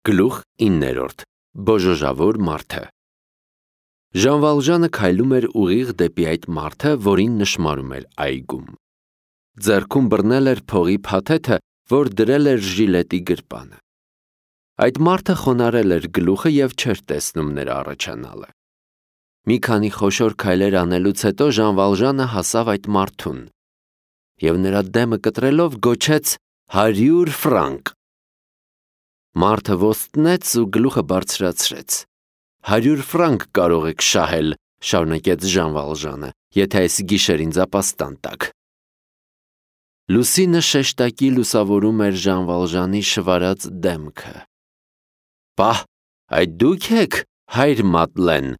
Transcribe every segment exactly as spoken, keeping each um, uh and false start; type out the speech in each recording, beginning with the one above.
Գլուխ իններորդ Բոժոժավոր մարդը Ժան Վալժանը քայլում էր ուղիղ դեպի այդ մարդը, որին նշմարում էր այգում։ Ձեռքում բռնել էր փողի փաթեթը, որ դրել էր ժիլետի գրպանը։ Այդ մարդը խոնարհել էր գլուխը և չէր տեսնում նրա առաջանալը։ Մի քանի խոշոր քայլեր անելուց հետո Ժան Վալժանը հասավ այդ մարդուն և նրա դեմը կտրելով գոչեց հարյուր ֆրանկ։ Մարդը ոստնեց ու գլուխը բարձրացրեց։ Հարյուր ֆրանկ կարող եք շահել, շարունակեց Ժան Վալժանը, եթե այս գիշեր ինձ ապաստան տաք։ Լուսինը շեշտակի լուսավորում էր Ժան Վալժանի շվարած դեմքը։ Պահ, այդ դուք եք, հայր Մադլեն,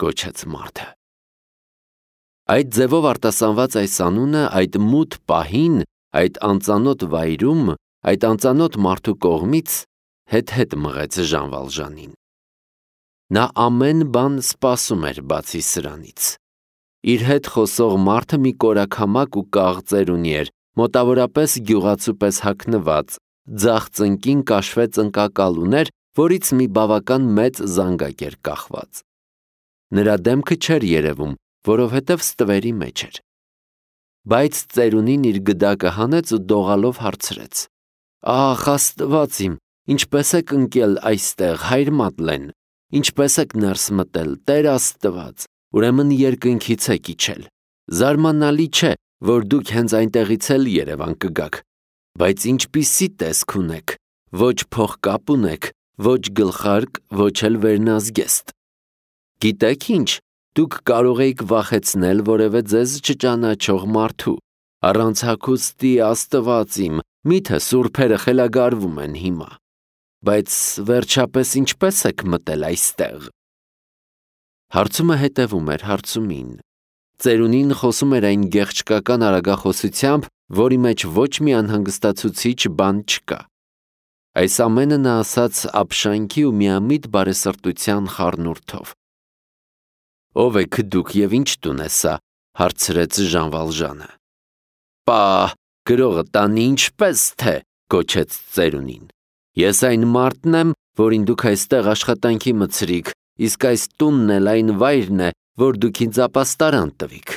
գոչեց մարդը։ Այդ ձևով արտասանված այս անունը այդ մութ պահին, այդ անծանոթ վայրում, այդ անծանոթ մարդու կողմից հետ-հետ մղեց Ժան Վալժանին։ Նա ամեն բան սպասում էր բացի սրանից։ Իր հետ խոսող մարդը մի կորաքամակ ու կաղ ծերունի էր, մոտավորապես գյուղացու պես հագնված, ձախ ծնկին կաշվե ծնկակալ ուներ, որից մի բավական մեծ զանգակ էր կախված։ Նրա դեմքը չէր երևում, որովհետև ստվերի մեջ էր։ Բայց ծերունին իր գդակը հանեց ու դողալով հարցրեց. Ախ, Աստված իմ, ինչպես եք ընկել այստեղ, հայր Մադլեն, ինչպես եք ներս մտել, Տեր Աստված, ուրեմն երկնքից եք իջել։ Զարմանալի չէ, որ դուք հենց այնտեղից էլ Երևան կգաք, բայց ինչպիսի տեսք ունեք, ոչ փողկապ ունեք, ոչ գլխարկ, ոչ էլ վերնազգեստ։ Գիտեք ինչ, դուք կարող էիք վախեցնել որևէ ձեզ չճանաչող մարդու, առանց հագուստի Աստված իմ, միթե սուրբերը խելագարվում են հիմա, բայց վերջապես ինչպես եք մտել այստեղ։ Հարցումը հետևում էր հարցումին։ Ծերունին խոսում էր այն գեղչկական արագախոսությամբ, որի մեջ ոչ մի անհանգստացուցիչ բան չկա։ Այս ամենը նա ասաց ապշանքի ու միամիտ բարեսրտության խառնուրդով։ Ո՞վ եք դուք և ինչ տուն է սա, հարցրեց Ժան Վալժանը։ Պահ, գրողը տանի ինչպես թե, գոչեց ծերունին։ Ես այն մարդն եմ, որին դուք այստեղ աշխատանքի մտցրիք, իսկ այս տունն էլ այն վայրն է, որ դուք ինձ ապաստարան տվիք։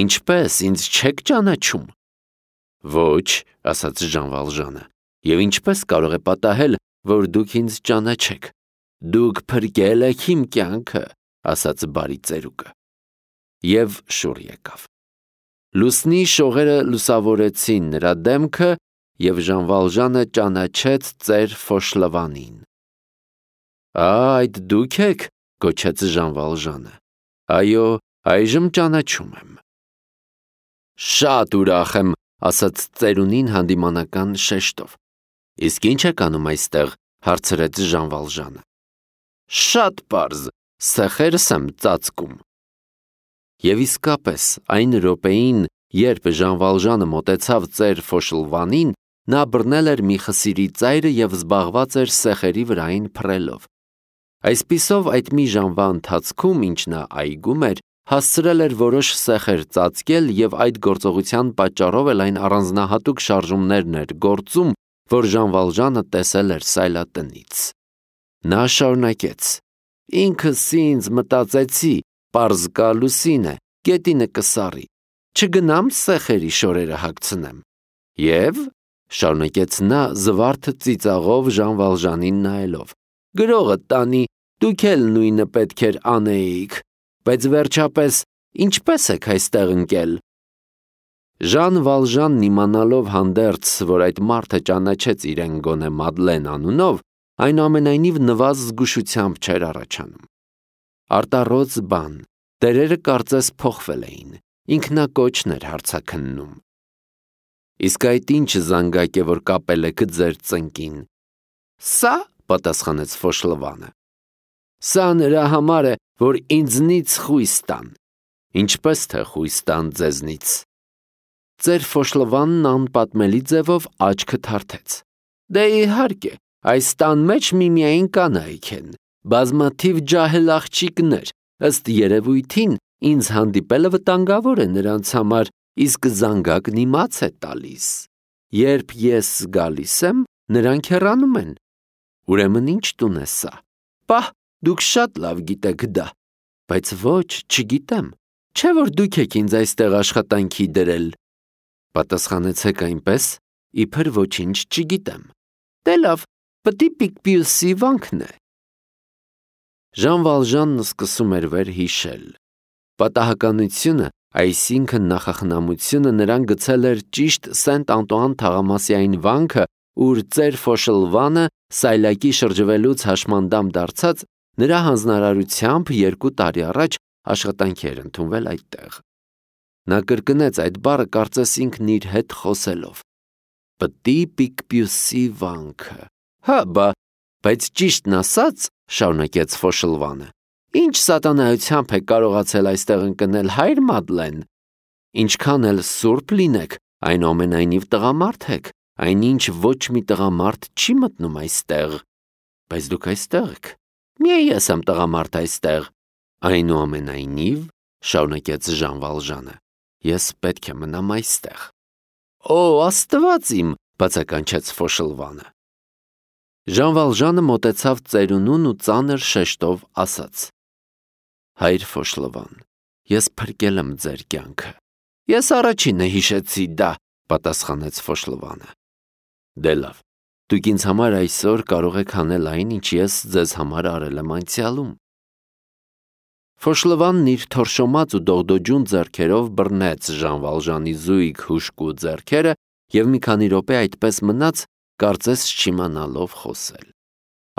Ինչպես, ինձ չեք ճանաչում։ Ոչ, ասաց Ժան Վալժանը, և ինչպես կարող է պատահել, որ դուք ինձ ճանաչեք։ Դուք փրկել եք իմ կյանքը, ասաց բարի ծերուկը։ Եվ շուռ եկավ։ Լուսնի շողերը լուսավորեցին նրա դեմքը, և Ժան Վալժանը ճանաչեց ծեր Ֆոշլվանին։ Այդ դուք եք, գոչեց Ժան Վալժանը։ Այո, այժմ ճանաչում եմ։ Շատ ուրախ եմ, ասաց ծերունին հանդիմանական շեշտով։ Իսկ ինչ եք անում այստեղ, հարցրեց Ժան Վալժանը։ Շատ պարզ, սեխերս եմ ծածկում։ Եվ իսկապես, այն րոպեին, երբ Ժան Վալժանը մոտեցավ ծեր Ֆոշլվանին, նա բռնել էր մի խսիրի ծայրը և զբաղված էր սեխերի վրային փռելով։ Այսպիսով այդ մի ժամվա ընթացքում, ինչ նա այգում էր, հասցրել էր որոշ սեխեր ծածկել և այդ գործողության պատճառով էլ այն առանձնահատուկ շարժումներն էր գործում, որ Ժան Վալժանը տեսել էր սայլատնից։ Նա շարունակեց. Ինքս ինձ մտածեցի, պարզ կա լուսին է, գետինը կսառի, չգնամ սեխերի շորերը հագցնեմ։ Եվ, շարունակեց նա զվարթ ծիծաղով Ժան Վալժանին նայելով, գրողը տանի, դուք էլ նույնը պետք էր անեիք, բայց վերջապես ինչպես եք այստեղ ընկել։ Ժան Վալժանն իմանալով հանդերձ, որ այդ մարդը ճանաչեց իրեն գոնե Մադլեն անունով, այնուամենայնիվ նվազ զգուշությամբ չէր առաջանում։ Արտառոց բան, տերերը կարծես փոխվել էին, ինքնակոչն էր հարցաքննում։ Իսկ այդ ինչ զանգակ է, որ կապել եք ձեր ծնկին։ Սա, պատասխանեց Ֆոշլվանը։ Սա նրա համար է, որ ինձնից խույս տան։ Ինչպես թե խույս տան ձեզնից։ Ծեր Ֆոշլվանն անպատմելի ձևով աչքը թարթեց։ Դե իհարկե, այս տան մեջ միմիայն կանայք են, բազմաթիվ ջահել աղջիկներ, ըստ երևույթին ինձ հանդիպելը վտանգավոր է նրանց համար, իսկ զանգակն իմաց է տալիս։ Երբ ես գալիս եմ, նրանք հեռանում են։ Ուրեմն ինչ տուն է սա։ Պահ, դուք շատ լավ գիտեք դա, բայց ոչ, չգիտեմ, չէ որ դուք եք ինձ այստեղ աշխատանքի դրել։ Պատասխանեցեք այնպես, իբր ոչինչ չգիտեմ։ Դե լավ, պտի Պիկպիուսի վանքն է։ Ժան Վալժանն սկսում էր վեր հիշել։ Պատահականությունը, այսինքն նախախնամությունը նրան գցել էր ճիշտ Սենտ Անտուան թաղամասային վանքը, ուր ծեր Ֆոշլվանը սայլակի շրջվելուց հաշմանդամ դարձած նրա հանձնարարությամբ երկու տարի առաջ աշխատանքի էր ընդունվել այդտեղ։ Նա կրկնեց այդ բառը կարծես ինքն իր հետ խոսելով։ Պտի Պիկպիուսի վանքը։ Հա, բա, բայց ճիշտն ասած, շարունակեց Ֆոշլվանը, ինչ սատանայությամբ եք կարողացել այստեղ ընկնել, հայր Մադլեն։ Ինչքան էլ սուրբ լինեք, այնուամենայնիվ տղամարդ եք, այնինչ ոչ մի տղամարդ չի մտնում այստեղ։ Բայց դուք այստեղ եք։ Միայն ես եմ տղամարդ այստեղ։ Այնուամենայնիվ, շարունակեց Ժան Վալժանը, ես պետք է մնամ այստեղ։ Օ, Աստված իմ, բացականչեց Ֆոշլվանը։ Ժան Վալժանը մոտեցավ ծերունուն ու ծանր շեշտով ասաց. Հայր Ֆոշլվան, ես փրկել եմ ձեր կյանքը։ Ես առաջինը հիշեցի դա, պատասխանեց Ֆոշլվանը։ Դե լավ, դուք ինձ համար այսօր կարող եք անել այն, ինչ ես ձեզ համար արել եմ անցյալում։ Ֆոշլվանն իր թորշոմած ու դողդոջուն ձեռքերով բռնեց Ժան Վալժանի զույգ հուժկու ձեռքերը և մի քանի րոպե այդպես մնաց, կարծես չիմանալով խոսել։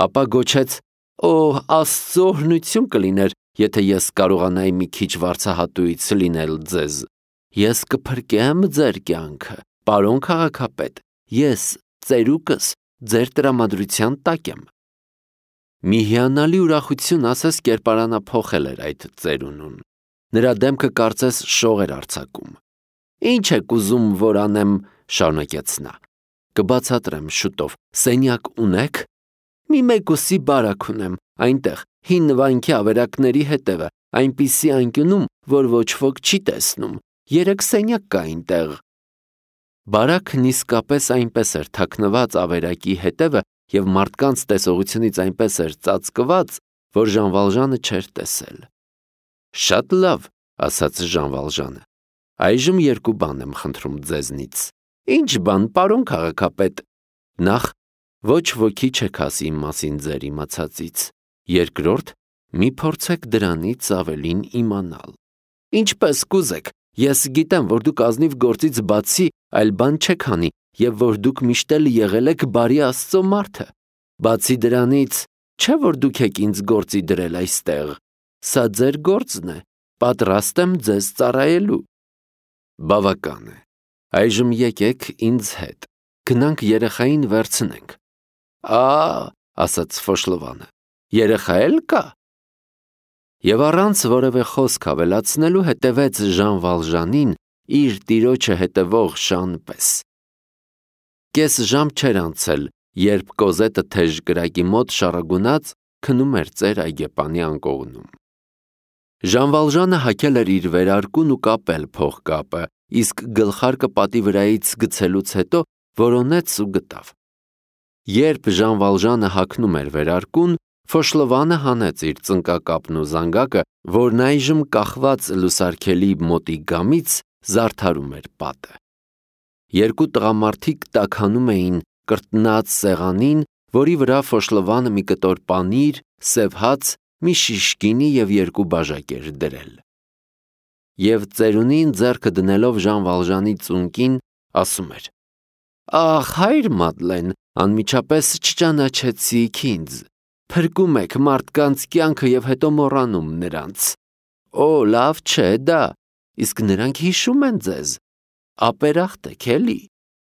Ապա գոչեց. Օ, Աստծո օրհնություն կլիներ, եթե ես կարողանայի մի քիչ վարձահատույց լինել ձեզ։ Ես կփրկեմ ձեր կյանքը, պարոն քաղաքապետ, ես, ծերուկս, ձեր տրամադրության տակ եմ։ Մի հիանալի ուրախություն ասես կերպարանափոխել էր այդ ծերունուն։ Նրա դեմքը կարծես շող էր արձակում։ Ինչ եք ուզում, որ անեմ, շարունակեց նա։ Կբացատրեմ շուտով, սենյակ ունեք։ Մի մեկուսի բարակ ունեմ, այնտեղ, հին վանքի ավերակների հետևը, այնպիսի անկյունում, որ ոչ ոք չի տեսնում, երեք սենյակ կա այնտեղ։ Բարակն իսկապես այնպես էր թաքնված ավերակի հետևը և մարդկանց տեսողությունից այնպես էր ծածկված, որ Ժան Վալժանը չէր տեսել։ Շատ լավ, ասաց Ժան Վալժանը, այժմ երկու բան եմ խնդրում ձեզնից։ Ինչ բան, պարոն քաղաքապետ։ Նախ, ոչ ոքի չեք ասի իմ մասին ձեր իմացածից։ Երկրորդ, մի փորձեք դրանից ավելին իմանալ։ Ինչպես կուզեք, ես գիտեմ, որ դուք ազնիվ գործից բացի այլ բան չեք անի և որ դուք միշտ էլ եղել եք բարի Աստծո մարդը։ Բացի դրանից, չէ՞ որ դուք եք ինձ գործի դրել այստեղ։ Սա ձեր գործն է, պատրաստ եմ ձեզ ծառայելու։ Բավական է։ Այժմ եկեք ինձ հետ։ Գնանք երեխային վերցնենք։ Ա, ասաց Ֆոշլվանը, երեխա էլ կա։ Եվ առանց որևէ խոսք ավելացնելու հետևեց Ժան Վալժանին իր տիրոջը հետևող շան պես։ Կես ժամ չէր անցել, երբ Կոզետը թեժ կրակի մոտ շառագունած քնում էր ծեր այգեպանի անկողնում։ Ժան Վալժանը հագել էր իր վերարկուն ու կապել փողկապը, իսկ գլխարկը պատի վրայից գցելուց հետո որոնեց ու գտավ։ Երբ Ժան Վալժանը հագնում էր վերարկուն, Ֆոշլվանը հանեց իր ծնկակապն ու զանգակը, որն այժմ կախված լուսարգելի մոտի գամից զարդարում էր պատը։ Երկու տղամարդիկ տաքանում էին կրտնած սեղանին, որի վրա Ֆոշլվանը մի կտոր պանիր, սև հաց, մի շիշ գինի և երկու բաժակ էր դրել։ Եվ ծերունին ձեռքը դնելով Ժան Վալժանի ծունկին, ասում էր. Ախ, հայր Մադլեն, անմիջապես չճանաչեցիք ինձ։ Փրկում եք մարդկանց կյանքը և հետո մոռանում նրանց։ Օ, լավ չէ դա, իսկ նրանք հիշում են ձեզ։ Ապերախտ եք էլի։